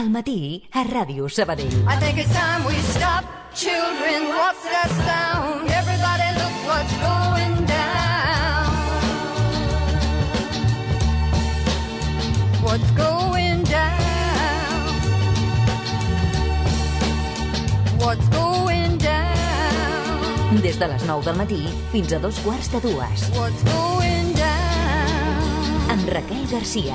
Al matí, a Ràdio Sabadell. I think it's time we stop. Children, what's that sound? Everybody look what's going down. What's going down? What's going down? Des de les 9 del matí fins a 2:15. What's going down? Amb Raquel Garcia.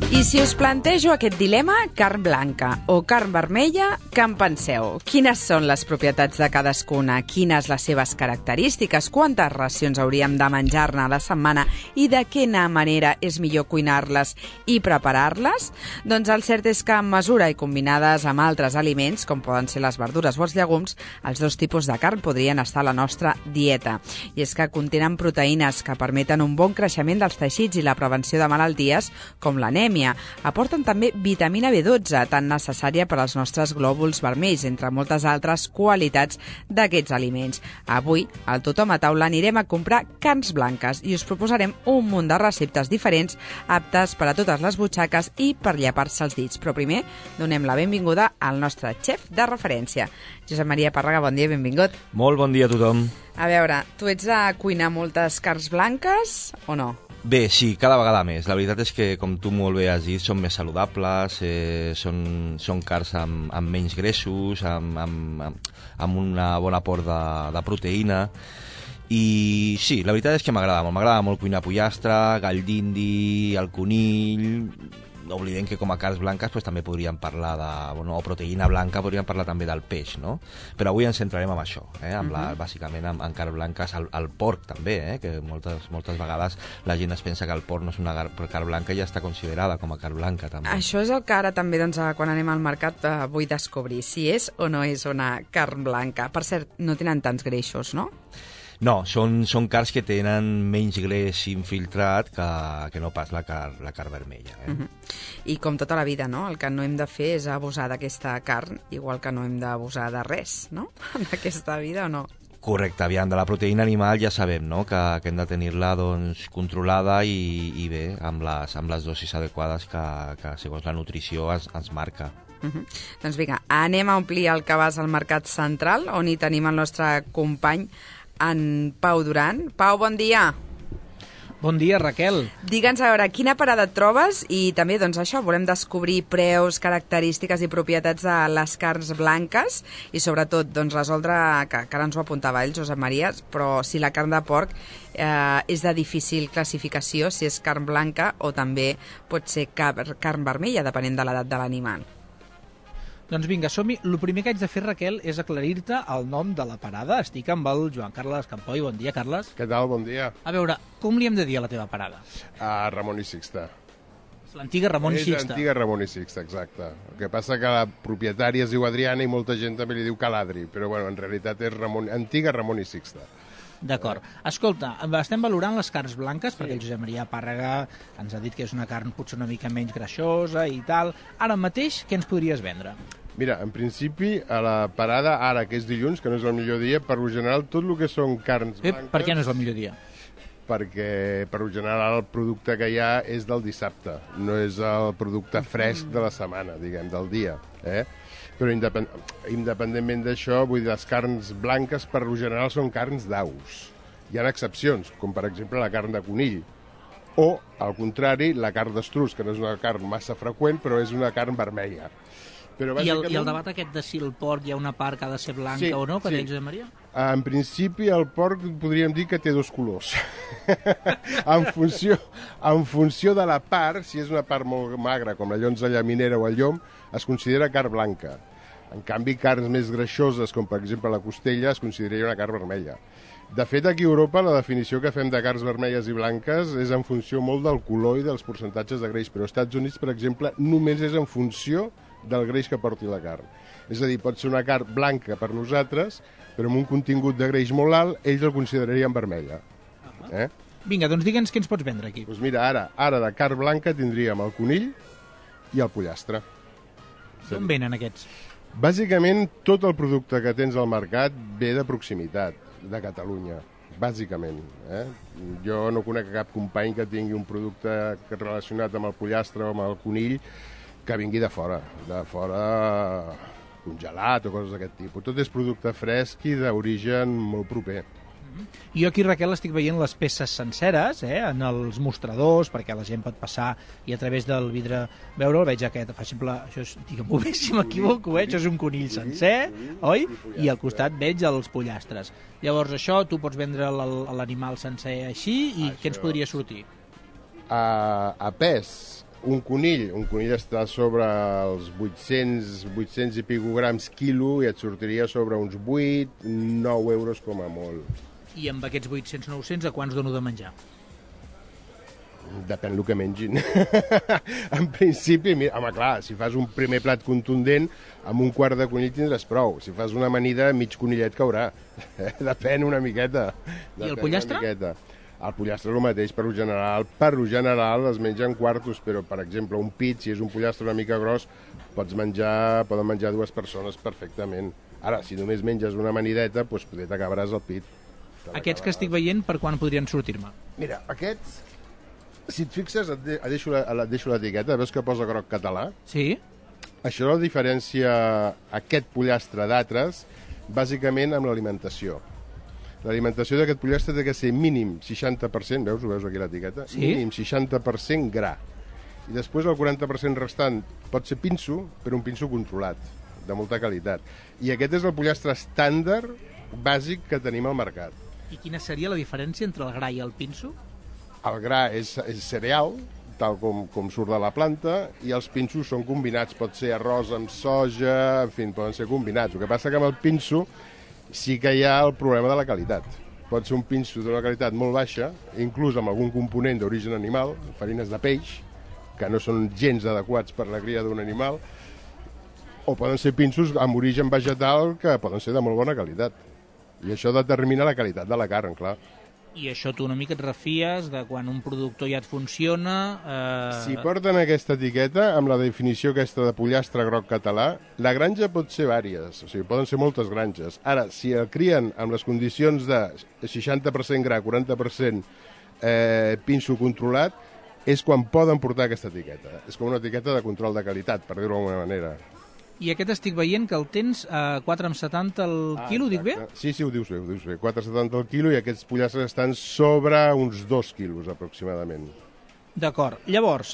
I si us plantejo aquest dilema, carn blanca o carn vermella, què en penseu? Quines són les propietats de cadascuna? Quines les seves característiques? Quantes racions hauríem de menjar-ne a la setmana? I de quina manera és millor cuinar-les i preparar-les? Doncs el cert és que en mesura i combinades amb altres aliments, com poden ser les verdures o els llegums, els dos tipus de carn podrien estar a la nostra dieta. I és que contenen proteïnes que permeten un bon creixement dels teixits i la prevenció de malalties com l'anèmia. Aporten també vitamina B12, tan necessària per als nostres glòbuls vermells, entre moltes altres qualitats d'aquests aliments. Avui, al Tothom a Taula, anirem a comprar carns blanques i us proposarem un munt de receptes diferents aptes per a totes les butxaques i per llepar-se els dits. Però primer, donem la benvinguda al nostre xef de referència. Josep Maria Pàrraga, bon dia, benvingut. Molt bon dia a tothom. A veure, tu ets de cuinar moltes carns blanques o no? Bé, sí, cada vegada més. La veritat és que, com tu molt bé has dit, són més saludables, són carns amb menys greixos, amb una bona aport de proteïna. I sí, la veritat és que m'agrada molt. M'agrada molt cuinar pollastre, gall d'indi, el conill. No oblidem que com a carns blanques pues, també podríem parlar o proteïna blanca, podríem parlar també del peix, no? Però avui ens centrarem en això, bàsicament en carns blanques, el porc també, que moltes vegades la gent es pensa que el porc no és una carn blanca i ja està considerada com a carn blanca també. Això és el que ara també, doncs, quan anem al mercat, vull descobrir si és o no és una carn blanca. Per cert, no tenen tants greixos, no? No, són carns que tenen menys greix infiltrat que no pas la carn vermella. I com tota la vida, no? El que no hem de fer és abusar d'aquesta carn, igual que no hem d'abusar de res, no? En aquesta vida o no? Correcte, aviam, de la proteïna animal ja sabem, no? que hem de tenir-la doncs, controlada i bé, amb les dosis adequades que segons la nutrició ens marca. Doncs vinga, anem a omplir el cabàs al Mercat Central, on hi tenim el nostre company en Pau Duran. Pau, bon dia. Bon dia, Raquel. Digue'ns, a veure, quina parada et trobes i també, doncs això, volem descobrir preus, característiques i propietats de les carns blanques i sobretot, doncs, resoldre, que ara ens ho apuntava ell, Josep Maria, però si la carn de porc és de difícil classificació, si és carn blanca o també pot ser carn vermella, depenent de l'edat de l'animal. Doncs vinga, som-hi. El primer que haig de fer, Raquel, és aclarir-te el nom de la parada. Estic amb el Joan Carles Campoi. Bon dia, Carles. Què tal? Bon dia. A veure, com li hem de dir a la teva parada? Ramon i Sixta. És l'antiga Ramon i Sixta. És l'antiga Ramon i Sixta, exacte. El que passa que la propietària es diu Adriana i molta gent també li diu Caladri, però bueno, en realitat és antiga Ramon i Sixta. D'acord. Escolta, estem valorant les carns blanques, perquè el Josep Maria Pàrraga ens ha dit que és una carn potser una mica menys greixosa i tal. Ara mateix, què ens podries vendre? Mira, en principi, a la parada, ara que és dilluns, que no és el millor dia, per lo general, tot el que són carns blanques... Per què no és el millor dia? Perquè, per lo general, el producte que hi ha és del dissabte, no és el producte fresc de la setmana, diguem, del dia, Però independentment d'això, vull dir, les carns blanques per lo general són carns d'aus. Hi ha excepcions, com per exemple la carn de conill, o, al contrari, la carn d'estruç, que no és una carn massa freqüent, però és una carn vermella. Però bàsicament... I el debat aquest de si el porc hi ha una part que ha de ser blanca o no, que deia Josep Maria? En principi, el porc podríem dir que té dos colors. en funció de la part, si és una part molt magra, com la llonza llaminera o el llom, es considera carn blanca. En canvi, carns més greixoses, com per exemple la costella, es consideraria una carn vermella. De fet, aquí a Europa la definició que fem de carns vermelles i blanques és en funció molt del color i dels percentatges de greix, però als Estats Units, per exemple, només és en funció del greix que porti la carn. És a dir, pot ser una carn blanca per nosaltres, però amb un contingut de greix molt alt, ells el considerarien vermella. Vinga, doncs digue'ns què ens pots vendre aquí. Doncs mira, ara de carn blanca tindríem el conill i el pollastre. D'on venen aquests? Bàsicament, tot el producte que tens al mercat ve de proximitat, de Catalunya, bàsicament. Jo no conec cap company que tingui un producte relacionat amb el pollastre o amb el conill que vingui de fora congelat o coses d'aquest tipus. Tot és producte fresc i d'origen molt proper. Jo aquí, Raquel, estic veient les peces senceres en els mostradors, perquè la gent pot passar i a través del vidre veure'l. Veig aquest, per exemple, això és, digue'm-ho bé si m'equivoco, això és un conill sencer, oi? I al costat veig els pollastres. Llavors això, tu pots vendre l'animal sencer així i què ens podria sortir? A pes, un conill està sobre els 800 i pico grams quilo i et sortiria sobre uns 8-9 euros com a molt. I amb aquests 800-900 a quants dono de menjar? Depèn del que mengin. En principi, home, clar, si fas un primer plat contundent, amb un quart de conill tindràs prou. Si fas una amanida, mig conillet caurà. Depèn una miqueta. I el pollastre? El pollastre és el mateix, per lo general es mengen quartos, però, per exemple, un pit, si és un pollastre una mica gros, poden menjar 2 persones perfectament. Ara, si només menges una amanideta, doncs potser t'acabaràs el pit. Aquests que estic veient, per quan podrien sortir-me? Mira, aquests, si et fixes, et deixo l'etiqueta, veus que posa groc català? Sí. Això la diferència aquest pollastre d'altres, bàsicament amb l'alimentació. L'alimentació d'aquest pollastre té que ser mínim 60%, ho veus aquí l'etiqueta? Sí. Mínim 60% gra. I després el 40% restant pot ser pinso, però un pinso controlat, de molta qualitat. I aquest és el pollastre estàndard bàsic que tenim al mercat. I quina seria la diferència entre el gra i el pinso? El gra és cereal, tal com surt de la planta, i els pinsos són combinats. Pot ser arròs amb soja, en fi, poden ser combinats. El que passa que amb el pinso sí que hi ha el problema de la qualitat. Pot ser un pinso d'una qualitat molt baixa, inclús amb algun component d'origen animal, farines de peix, que no són gens adequats per la cria d'un animal, o poden ser pinsos amb origen vegetal que poden ser de molt bona qualitat. I això determina la qualitat de la carn, clar. I això tu una mica et refies de quan un productor ja et funciona... Si porten aquesta etiqueta, amb la definició aquesta de pollastre groc català, la granja pot ser vàries, o sigui, poden ser moltes granges. Ara, si el crien amb les condicions de 60% gra, 40% pinso controlat, és quan poden portar aquesta etiqueta. És com una etiqueta de control de qualitat, per dir-ho d'alguna manera. I aquest estic veient que el tens a 4,70 el quilo, dic bé? Sí, ho dius bé. 4,70 el quilo i aquests pollastres estan sobre uns 2 quilos, aproximadament. D'acord. Llavors,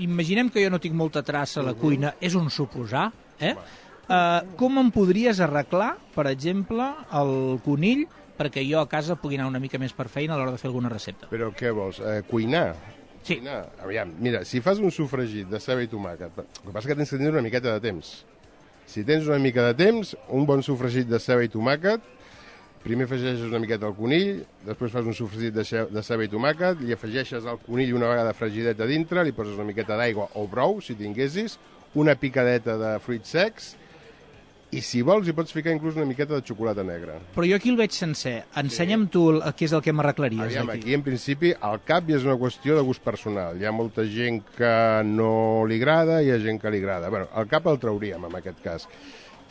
imaginem que jo no tinc molta traça a la cuina, és un suposar, com em podries arreglar, per exemple, el conill, perquè jo a casa pugui anar una mica més per feina a l'hora de fer alguna recepta? Però què vols? Cuinar? Sí. Aviam, mira, si fas un sofregit de ceba i tomàquet, el que passa és que tens que tenir una miqueta de temps. Si tens una mica de temps, un bon sofregit de ceba i tomàquet, primer afegeixes una miqueta al conill, després fas un sofregit de ceba i tomàquet, li afegeixes al conill una vegada fregidet a dintre, li poses una miqueta d'aigua o brou, si tinguessis, una picadeta de fruits secs, i si vols hi pots ficar inclús una miqueta de xocolata negra. Però jo aquí el veig sencer. Ensenya'm tu què és el que m'arreglaries. Aviam, aquí en principi el cap ja és una qüestió de gust personal. Hi ha molta gent que no li agrada i hi ha gent que li agrada. Bueno, el cap el trauríem en aquest cas.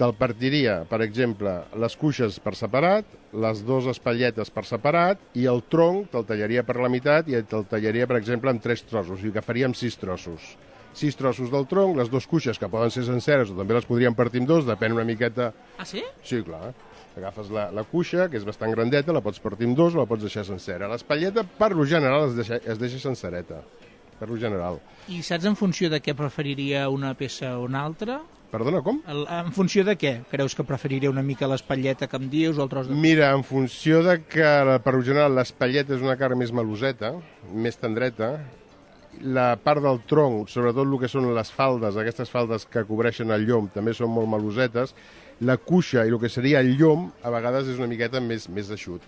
Te'l partiria, per exemple, les cuixes per separat, les 2 espatlletes per separat i el tronc te'l tallaria per la meitat i te'l tallaria, per exemple, en 3 trossos. O sigui que faríem 6 trossos. 6 trossos del tronc, les 2 cuixes que poden ser senceres o també les podríem partir en 2, depèn una miqueta... Ah, sí? Sí, clar. Agafes la cuixa, que és bastant grandeta, la pots partir en 2 o la pots deixar sencera. L'espatlleta, per lo general, es deixa sencereta. Per lo general. I saps en funció de què preferiria una peça o una altra? Perdona, com? En funció de què? Creus que preferiria una mica l'espatlleta que em dius o el tros de... Mira, en funció de que, per lo general, l'espatlleta és una carn més meloseta, més tendreta, la part del tronc, sobretot el que són les faldes, aquestes faldes que cobreixen el llom, també són molt melosetes. La cuixa i el que seria el llom, a vegades és una miqueta més eixut.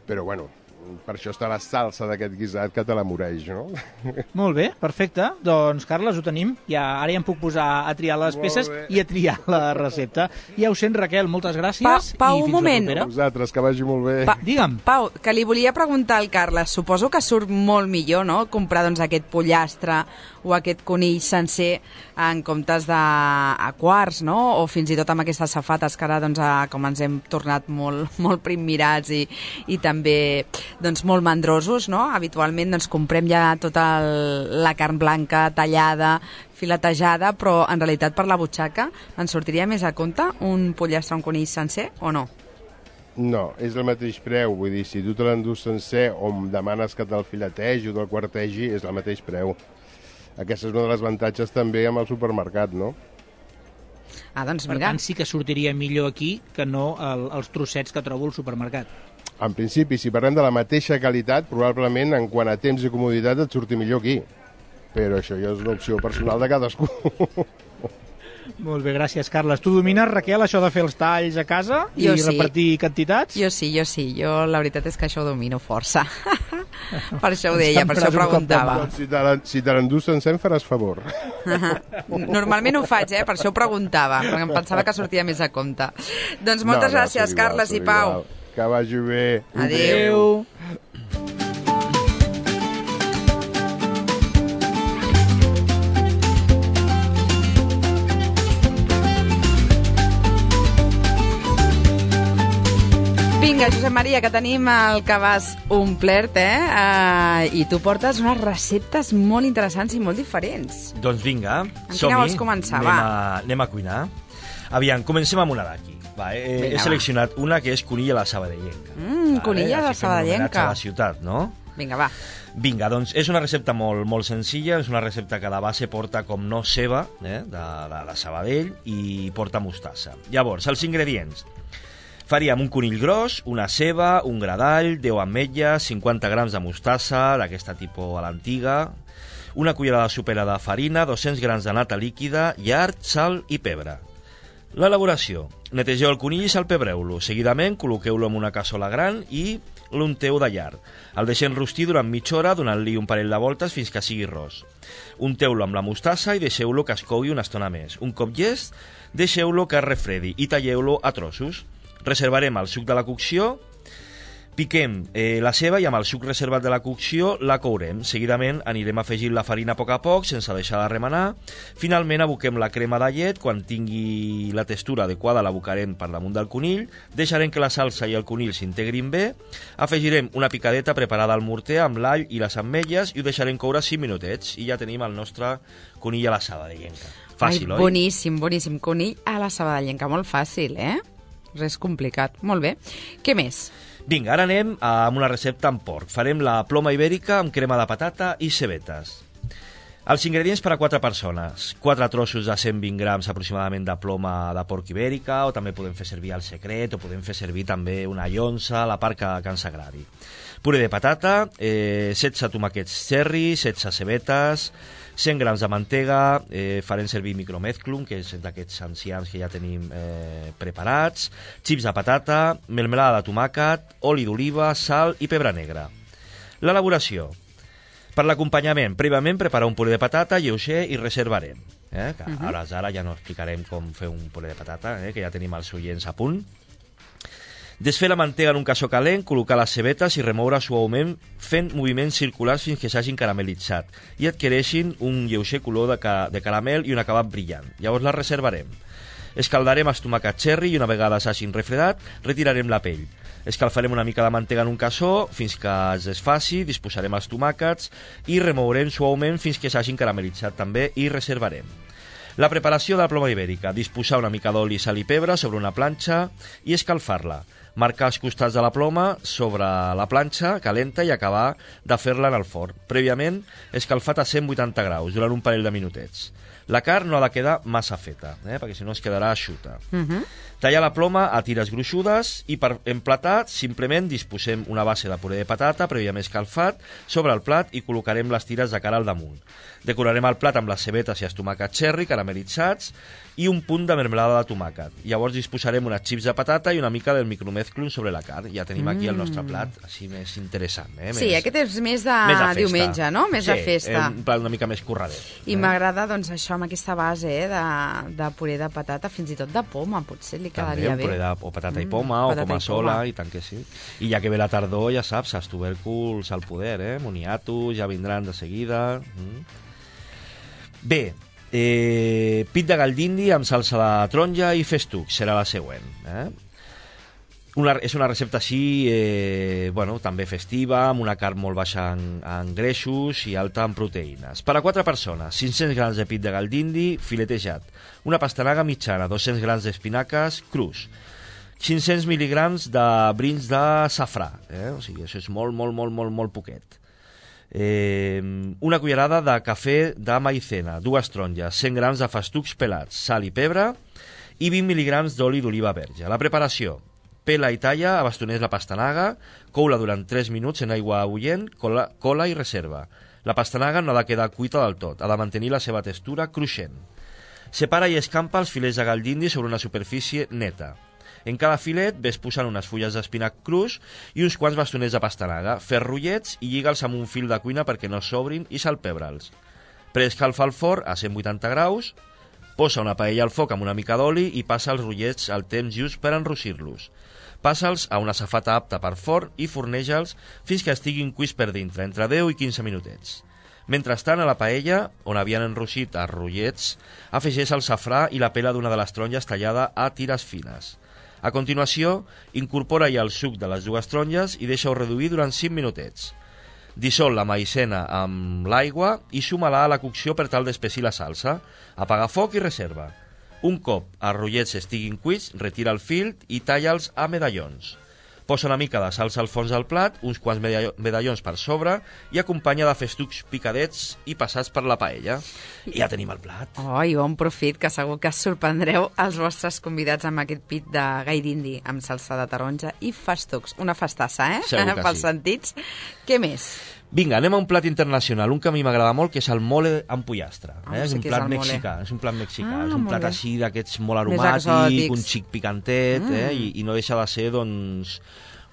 Però, bueno, per això està la salsa d'aquest guisat que te l'amoreix, no? Molt bé, perfecte. Doncs, Carles, ho tenim. Ara ja em puc posar a triar les peces i a triar la recepta. Ja ho sent, Raquel, moltes gràcies. Pau, i un fins moment. la propera. Vosaltres, que vagi molt bé. Digue'm. Pau, que li volia preguntar al Carles, suposo que surt molt millor, no?, comprar doncs, aquest pollastre o aquest conill sencer en comptes de a quarts, no?, o fins i tot amb aquestes safates que ara, doncs, com ens hem tornat molt primmirats i també doncs, molt mandrosos, no? Habitualment doncs, comprem ja tota la carn blanca tallada, filetejada, però en realitat per la butxaca ens sortiria més a compte un pollastre o un conill sencer o no? No, és el mateix preu, vull dir, si tu te l'endús sencer o em demanes que te'l filetegi o te'l quartegi, és el mateix preu. Aquesta és una de les avantatges també amb el supermercat, no? Doncs Per mira. tant, sí que sortiria millor aquí que no els trossets que trobo al supermercat. En principi, si parlem de la mateixa qualitat, probablement en quant a temps i comoditat et surti millor aquí. Però això ja és una opció personal de cadascú. Molt bé, gràcies, Carles. Tu domines, Raquel, això de fer els talls a casa i repartir quantitats? Jo sí. Jo la veritat és que això ho domino força. Per això ho deia, per això preguntava. Si te l'endús sencer em faràs favor. Normalment ho faig, per això ho preguntava, perquè em pensava que sortia més a compte. Doncs moltes gràcies, Carles i Pau. Que vagi bé. Adéu. Vinga, Josep Maria, que tenim el cabàs omplert, i tu portes unes receptes molt interessants i molt diferents. Doncs vinga, quina vols començar, anem a cuinar. Aviam, comencem amb una d'aquí. He seleccionat una que és conill a la sabadellenca. Conill a la sabadellenca. A la ciutat, no? Vinga, va. Vinga, doncs és una recepta molt senzilla, és una recepta que de base porta com no ceba, de la Sabadell, i porta mostassa. Llavors, els ingredients. Faríem un conill gros, una ceba, un gra d'all, 10 ametlles, 50 grams de mostassa, d'aquesta tipus a l'antiga, una cullerada sopera de farina, 200 grams de nata líquida, llard, sal i pebre. L'elaboració. Netegeu el conill i salpebreu-lo. Seguidament, col·loqueu-lo en una cassola gran i l'unteu de llard. El deixem rostir durant mitja hora, donant-li un parell de voltes fins que sigui ros. Unteu-lo amb la mostassa i deixeu-lo que es cogui una estona més. Un cop llest, deixeu-lo que es refredi i talleu-lo a trossos. Reservarem el suc de la cocció, piquem la ceba i amb el suc reservat de la cocció la courem. Seguidament anirem afegint la farina a poc, sense deixar de remenar. Finalment aboquem la crema de llet, quan tingui la textura adequada l'abocarem per damunt del conill, deixarem que la salsa i el conill s'integrin bé, afegirem una picadeta preparada al morter amb l'all i les ametlles i ho deixarem coure 5 minutets i ja tenim el nostre conill a la sabadellenca. Fàcil, oi? Boníssim. Conill a la sabadellenca, molt fàcil, Res complicat. Molt bé. Què més? Vinga, ara anem amb una recepta amb porc. Farem la ploma ibèrica amb crema de patata i cebetes. Els ingredients per a 4 persones. 4 trossos de 120 grams aproximadament de ploma de porc ibèrica, o també podem fer servir el secret, o podem fer servir també una llonça, la part que ens agradi. Puré de patata, 16 tomàquets cherry, 16 cebetes, 100 grams de mantega, farem servir micromezclum, que és d'aquests enciams que ja tenim preparats, xips de patata, melmelada de tomàquet, oli d'oliva, sal i pebre negre. L'elaboració. Per l'acompanyament, prèviament preparar un puré de patata lleuger i reservarem. Ara ja no explicarem com fer un puré de patata, que ja tenim els oients a punt. Desfer la mantega en un cassó calent, col·locar les cebetes i remoure suaument fent moviments circulars fins que s'hagin caramelitzat i adquireixin un lleuger color de caramel i un acabat brillant. Llavors les reservarem. Escaldarem els tomàquets cherry i una vegada s'hagin refredat, retirarem la pell. Escalfarem una mica de mantega en un cassó fins que es desfaci, disposarem els tomàquets i remourem suaument fins que s'hagin caramelitzat també i reservarem. La preparació de la ploma ibèrica. Disposar una mica d'oli, sal i pebre sobre una planxa i escalfar-la. Marcar els costats de la ploma sobre la planxa calenta i acabar de fer-la en el forn. Prèviament, escalfat a 180 graus durant un parell de minutets. La carn no ha de quedar massa feta, perquè si no es quedarà eixuta. Tallar la ploma a tires gruixudes i per emplatar simplement disposem una base de puré de patata prèviament escalfat sobre el plat i col·locarem les tires de cara al damunt. Decorarem el plat amb les cebetes i els tomàquets cherry caramelitzats i un punt de mermelada de tomàquet. Llavors disposarem unes xips de patata i una mica del micromezclum mezclo sobre la carn. Ja tenim aquí el nostre plat així més interessant. Sí, aquest és més de diumenge, no? Més de festa. Sí, un plat una mica més curradet. I m'agrada, doncs, això amb aquesta base de puré de patata, fins i tot de poma, potser li quedaria bé. També, o patata i poma, o poma sola, i tant que sí. I ja que ve la tardor, ja saps, els tubèrculs al poder, moniatos, ja vindran de seguida. Bé, pit de gall d'indi amb salsa de taronja i festuc, serà la següent. És una recepta així, també festiva, amb una carn molt baixa en greixos i alta en proteïnes. Per a 4 persones, 500 grams de pit de gall d'indi filetejat, una pastanaga mitjana, 200 grams d'espinaques crus, 500 mil·ligrams de brins de safrà, o sigui, això és molt poquet. Una cullerada de cafè de maïzena, 2 taronges, 100 grams de festucs pelats, sal i pebre i 20 mil·ligrams d'oli d'oliva verge. La preparació: pela i talla a bastoners la pastanaga, cou-la durant 3 minuts en aigua bullent, cola i reserva. La pastanaga no ha de quedar cuita del tot, ha de mantenir la seva textura cruixent. Separa i escampa els filets de gall d'indi sobre una superfície neta. En cada filet ves posant unes fulles d'espinac crus i uns quants bastoners de pastanaga. Fes rotllets i lliga'ls amb un fil de cuina perquè no s'obrin i salpebra'ls. Preescalfa el forn a 180 graus, posa una paella al foc amb una mica d'oli i passa els rotllets al temps just per enrossir-los. Passa'ls a una safata apta per forn i forneja'ls fins que estiguin cuits per dintre, entre 10 i 15 minutets. Mentrestant, a la paella, on havien enrossit els rotllets, afegeix el safrà i la pela d'una de les taronges tallada a tires fines. A continuació, incorpora-hi el suc de les 2 taronges i deixa-ho reduir durant 5 minutets. Dissol la maïzena amb l'aigua i suma-la a la cocció per tal d'espessir la salsa. Apaga foc i reserva. Un cop els rotllets estiguin cuits, retira el fil i talla'ls a medallons. Posa una mica de salsa al fons del plat, uns quants medallons per sobre i acompanya de festucs picadets i passats per la paella. I ja tenim el plat. I bon profit, que segur que sorprendreu els vostres convidats amb aquest pit de gall d'indi amb salsa de taronja i festucs. Una festassa, Segur que pels sí. sentits. Què més? Vinga, anem a un plat internacional, un que a mi m'agrada molt, que és el mole amb pollastre. És un plat mexicà, és un plat molt així d'aquests molt Més aromàtic, exòtics. un xic picantet, i no deixa de ser, doncs,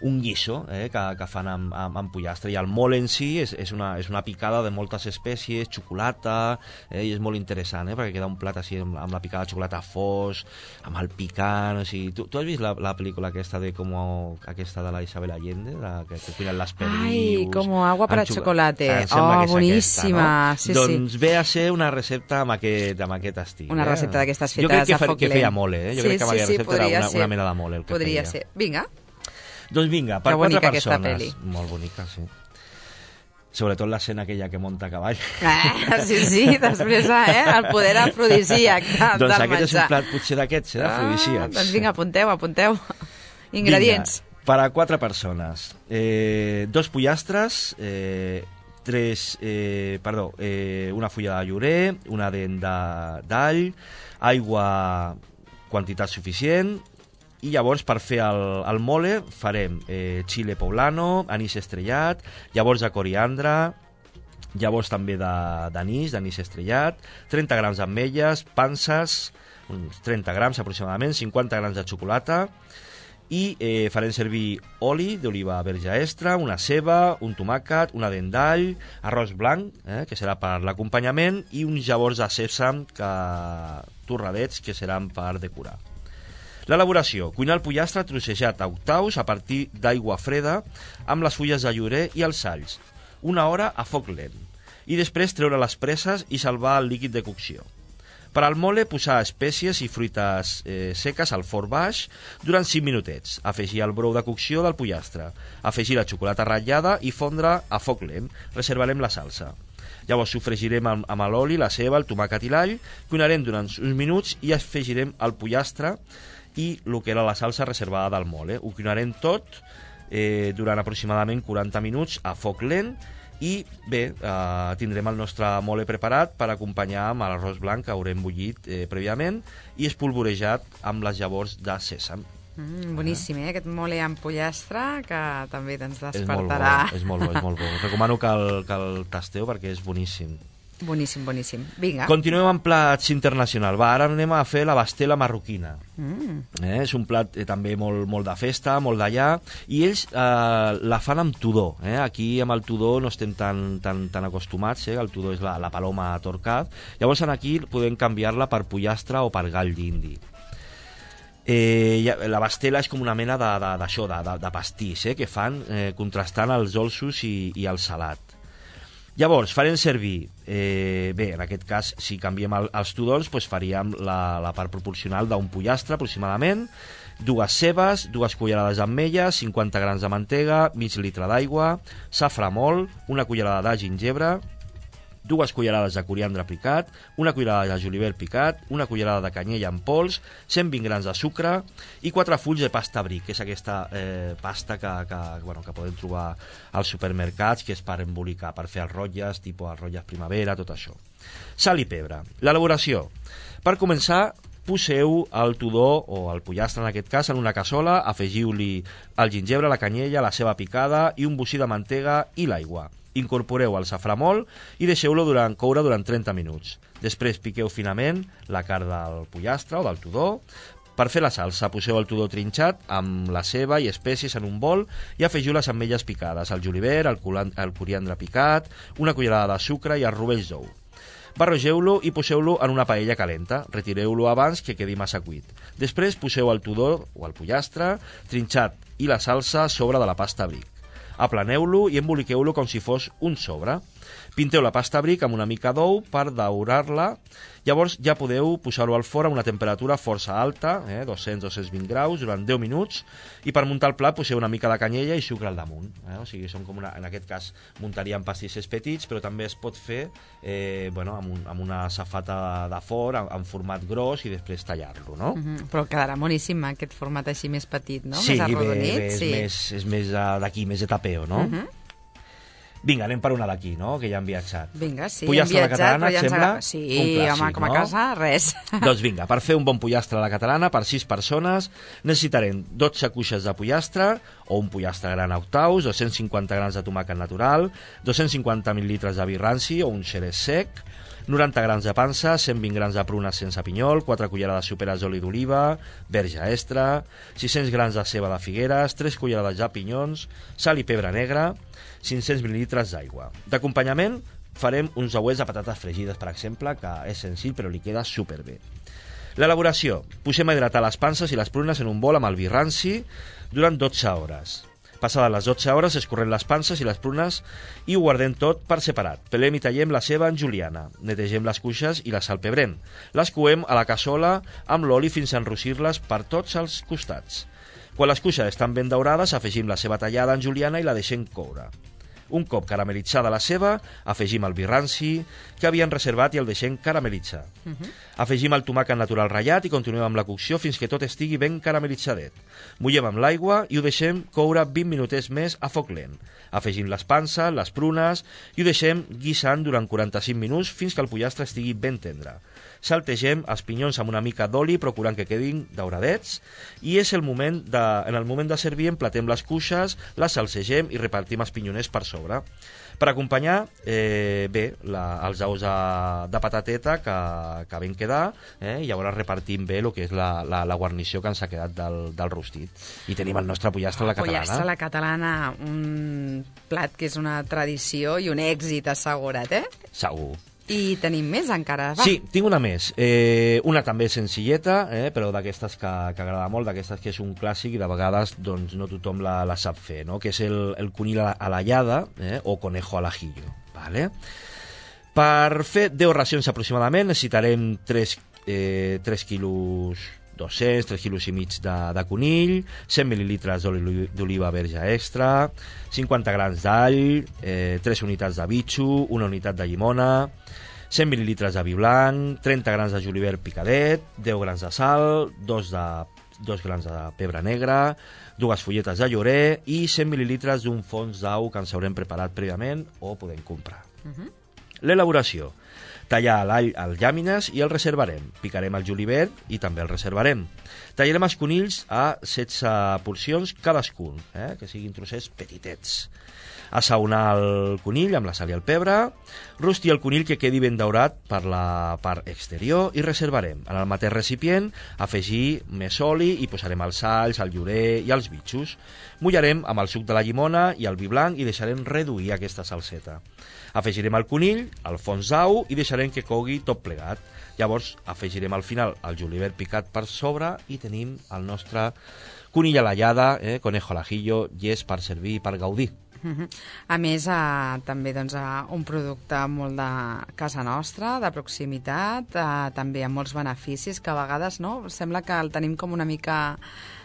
un guiso que fan amb pollastre. I el mole en si és una picada de moltes espècies, xocolata, i és molt interessant, perquè queda un plat així amb la picada de xocolata fos, amb el picant, o sigui... Tu has vist la pel·lícula aquesta de la Isabel Allende, que cuinen les perdius... Ai, como agua para chocolate. Aquesta, Boníssima. no? Sí, doncs ve a ser una recepta amb aquest estil. Una recepta d'aquestes fetes a foc lent. Jo crec que feia mole, Jo crec que amb aquesta recepta era una mena de mole el que podria feia. Ser. Vinga. Doncs vinga, per 4 persones. Molt bonica, sí. Sobretot l'escena aquella que monta a cavall. Sí, després el poder afrodisíac del menjar. Doncs aquest és un plat potser d'aquests, d'afrodisíacs. Doncs vinga, apunteu. Ingredients. Vinga, per a 4 persones. 2 pollastres, una fulla de llorer, una dent d'all, aigua, quantitat suficient. I llavors, per fer el mole, farem xile poblano, anís estrellat, llavors de coriandre, llavors també d'anís estrellat, 30 grams d'ametlles, panses, uns 30 grams aproximadament, 50 grams de xocolata, i farem servir oli d'oliva verge extra, una ceba, un tomàquet, una dent d'all, arròs blanc, que serà per l'acompanyament, i uns llavors de sèsam torradets, que seran per decorar. L'elaboració: cuinar el pollastre trossejat a octaus a partir d'aigua freda amb les fulles de llorer i els alls, 1 hora a foc lent, i després treure les presses i salvar el líquid de cocció. Per al mole, posar espècies i fruites seques al forn baix durant 5 minutets, afegir el brou de cocció del pollastre, afegir la xocolata ratllada i fondre a foc lent. Reservarem la salsa. Llavors sofregirem amb l'oli, la ceba, el tomàquet i l'all, cuinarem durant uns minuts i afegirem el pollastre i el que era la salsa reservada del mole. Ho cuinarem tot durant aproximadament 40 minuts a foc lent i bé, tindrem el nostre mole preparat per acompanyar amb l'arròs blanc que haurem bullit prèviament i espolvorejat amb les llavors de sèsam. Boníssim, aquest mole amb pollastre que també ens despertarà. És molt bo. Recomano que el tasteu perquè és boníssim. Boníssim, boníssim. Vinga. Continuem amb plats internacionals. Va, ara anem a fer la bastela marroquina. És un plat també molt de festa, molt d'allà, i ells la fan amb tudó. Aquí amb el tudó no estem tan acostumats, el tudó és la paloma torcat. Llavors aquí podem canviar-la per pollastre o per gall d'indi. La bastela és com una mena d'això, de pastís, que fan contrastant els dolços i el salat. Llavors, farem servir, en aquest cas, si canviem els tudons, faríem la part proporcional d'un pollastre, aproximadament, 2 cebes, 2 cullerades d'ametlles, 50 grams de mantega, mig litre d'aigua, safrà molt, 1 cullerada de gingebre, 2 cullerades de coriandre picat, 1 cullerada de julivert picat, 1 cullerada de canyella en pols, 120 grams de sucre i 4 fulls de pasta bric, que és aquesta pasta que podem trobar als supermercats, que és per embolicar, per fer els rotlles, tipus els rotlles primavera, tot això. Sal i pebre. L'elaboració. Per començar, poseu el tudó o el pollastre en aquest cas en una cassola, afegiu-li el gingebre, la canyella, la ceba picada i un bocí de mantega i l'aigua. Incorporeu el safrà molt i deixeu-lo coure durant 30 minuts. Després piqueu finament la carn del pollastre o del tudó. Per fer la salsa, poseu el tudó trinxat amb la ceba i espècies en un bol i afegiu les ametlles picades, el julivert, el coriandre picat, 1 cullerada de sucre i els rovells d'ou. Barregeu-lo i poseu-lo en una paella calenta. Retireu-lo abans que quedi massa cuit. Després poseu el tudó o el pollastre trinxat i la salsa a sobre de la pasta bric. Aplaneu-lo i emboliqueu-lo com si fos un sobre. Pinteu la pasta bric amb una mica d'ou per daurar-la. Llavors ja podeu posar-ho al forn a una temperatura força alta, 200-220 graus, durant 10 minuts, i per muntar el plat poseu una mica de canyella i sucre al damunt. O sigui, són com en aquest cas muntaríem pastissers petits, però també es pot fer amb una safata de forn, en format gros, i després tallar-lo, no? Però quedarà boníssim aquest format així més petit, no? Sí, més arrodonit. és més d'aquí, més de tapeo, no? Vinga, anem per una d'aquí, no?, que ja hem viatjat. Vinga, sí, pollastre hem viatjat, a la catalana, et sembla? Sí, un clàssic, home, com a casa, res. Doncs vinga, per fer un bon pollastre a la catalana, per 6 persones, necessitarem 12 cuixes de pollastre, o un pollastre gran a octaus, 250 grams de tomàquet natural, 250 mil·litres de vi ranci o un xerès sec, 90 grams de pansa, 120 grams de prunes sense pinyol, 4 cullerades soperes d'oli d'oliva, verge extra, 600 grams de ceba de figueres, 3 cullerades de pinyons, sal i pebre negre, 500 mil·litres d'aigua. D'acompanyament farem uns ouets de patates fregides, per exemple, que és senzill però li queda superbé. L'elaboració. Posem a hidratar les panses i les prunes en un bol amb el vi ranci durant 12 hores. Passades les 12 hores, escorrem les panses i les prunes i ho guardem tot per separat. Pelem i tallem la ceba en juliana. Netegem les cuixes i les salpebrem. Les coem a la cassola amb l'oli fins a enrossir-les per tots els costats. Quan les cuixes estan ben daurades, afegim la ceba tallada en juliana i la deixem coure. Un cop caramelitzada la ceba, afegim el vi ranci que havíem reservat i el deixem caramelitzar. Afegim el tomàquet natural ratllat i continuem amb la cocció fins que tot estigui ben caramellitzadet. Mullem amb l'aigua i ho deixem coure 20 minutets més a foc lent. Afegim les panses, les prunes i ho deixem guisant durant 45 minuts fins que el pollastre estigui ben tendre. Saltegem els pinyons amb una mica d'oli procurant que quedin dauradets i en el moment de servir emplatem les cuixes, les salsegem i repartim els pinyoners per sobre. Per acompanyar, els ous de patateta que ben quedar, i llavors repartim bé el que és la guarnició que ens ha quedat del rostit. I tenim el nostre pollastre a la catalana. Pollastre a la catalana, un plat que és una tradició i un èxit assegurat, Segur. I tenim més encara, va. Sí, tinc una més. Una també senzilleta, però d'aquestes que agrada molt, d'aquestes que és un clàssic i de vegades doncs, no tothom la sap fer, no? Que és el conill a la llada o conejo al ajillo. Vale? Per fer 10 racions aproximadament necessitarem 3 quilos 200, 3 quilos i mig de conill, 100 mil·litres d'oli d'oliva verge extra, 50 grams d'all, 3 unitats de bitxo, 1 unitat de llimona, 100 mil·litres de vi blanc, 30 grams de julivert picadet, 10 grams de sal, 2 grams de pebre negre, 2 fulletes de llorer i 100 mil·litres d'un fons d'au que ens haurem preparat prèviament o podem comprar. L'elaboració. Tallar l'all als llàmines i el reservarem. Picarem el julivert i també el reservarem. Tallarem els conills a 16 porcions cadascun, que siguin trossets petitets. Assaonar el conill amb la sal i el pebre, rostir el conill que quedi ben daurat per la part exterior i reservarem. En el mateix recipient afegir més oli i posarem els alls, el llorer i els bitxos. Mullarem amb el suc de la llimona i el vi blanc i deixarem reduir aquesta salseta. Afegirem el conill, el fons d'au i deixarem que cogui tot plegat. Llavors afegirem al final el julivert picat per sobre i tenim el nostre conill a l'allada, conejo al ajillo, llest per servir i per gaudir. A més, també un producte molt de casa nostra, de proximitat, també amb molts beneficis, que a vegades sembla que el tenim com una mica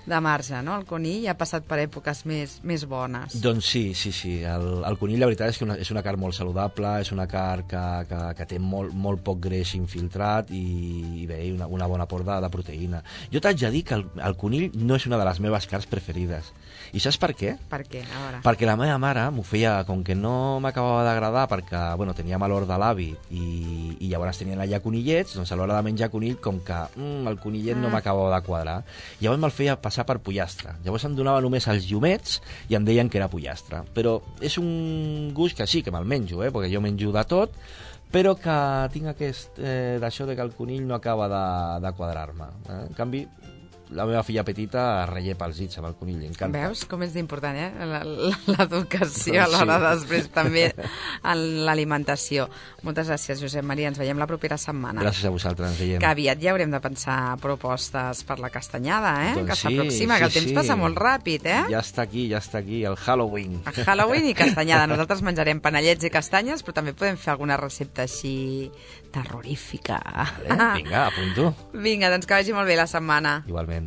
de marge, no? El conill ha passat per èpoques més bones. Doncs sí. El conill, la veritat és que és una carn molt saludable, és una carn que té molt poc greix infiltrat i bé, una bona porta de proteïna. Jo t'haig de dir que el conill no és una de les meves carns preferides. I saps per què? Per què? A veure. Perquè la meva mare m'ho feia, com que no m'acabava d'agradar, perquè tenia mal de l'avi i llavors tenien allà conillets, doncs a l'hora de menjar conill, com que el conillet no m'acabava de quadrar. Llavors me'l feia passar per pollastre. Llavors em donava només els llumets i em deien que era pollastre. Però és un gust que sí, que me'l menjo, perquè jo menjo de tot, però que tinc aquest d'això de que el conill no acaba de quadrar-me. En canvi, la meva filla petita es rellepa els dits amb el conill, encanta. Veus com és important, l'educació a l'hora després també en l'alimentació. Moltes gràcies, Josep Maria. Ens veiem la propera setmana. Gràcies a vosaltres, ens veiem. Que aviat ja haurem de pensar propostes per la castanyada, doncs que s'aproxima, que el temps passa molt ràpid, Ja està aquí, el Halloween. El Halloween i castanyada. Nosaltres menjarem panellets i castanyes, però també podem fer alguna recepta així terrorífica. Vinga, apunto. Vinga, doncs que vagi molt bé la setmana. Igualment.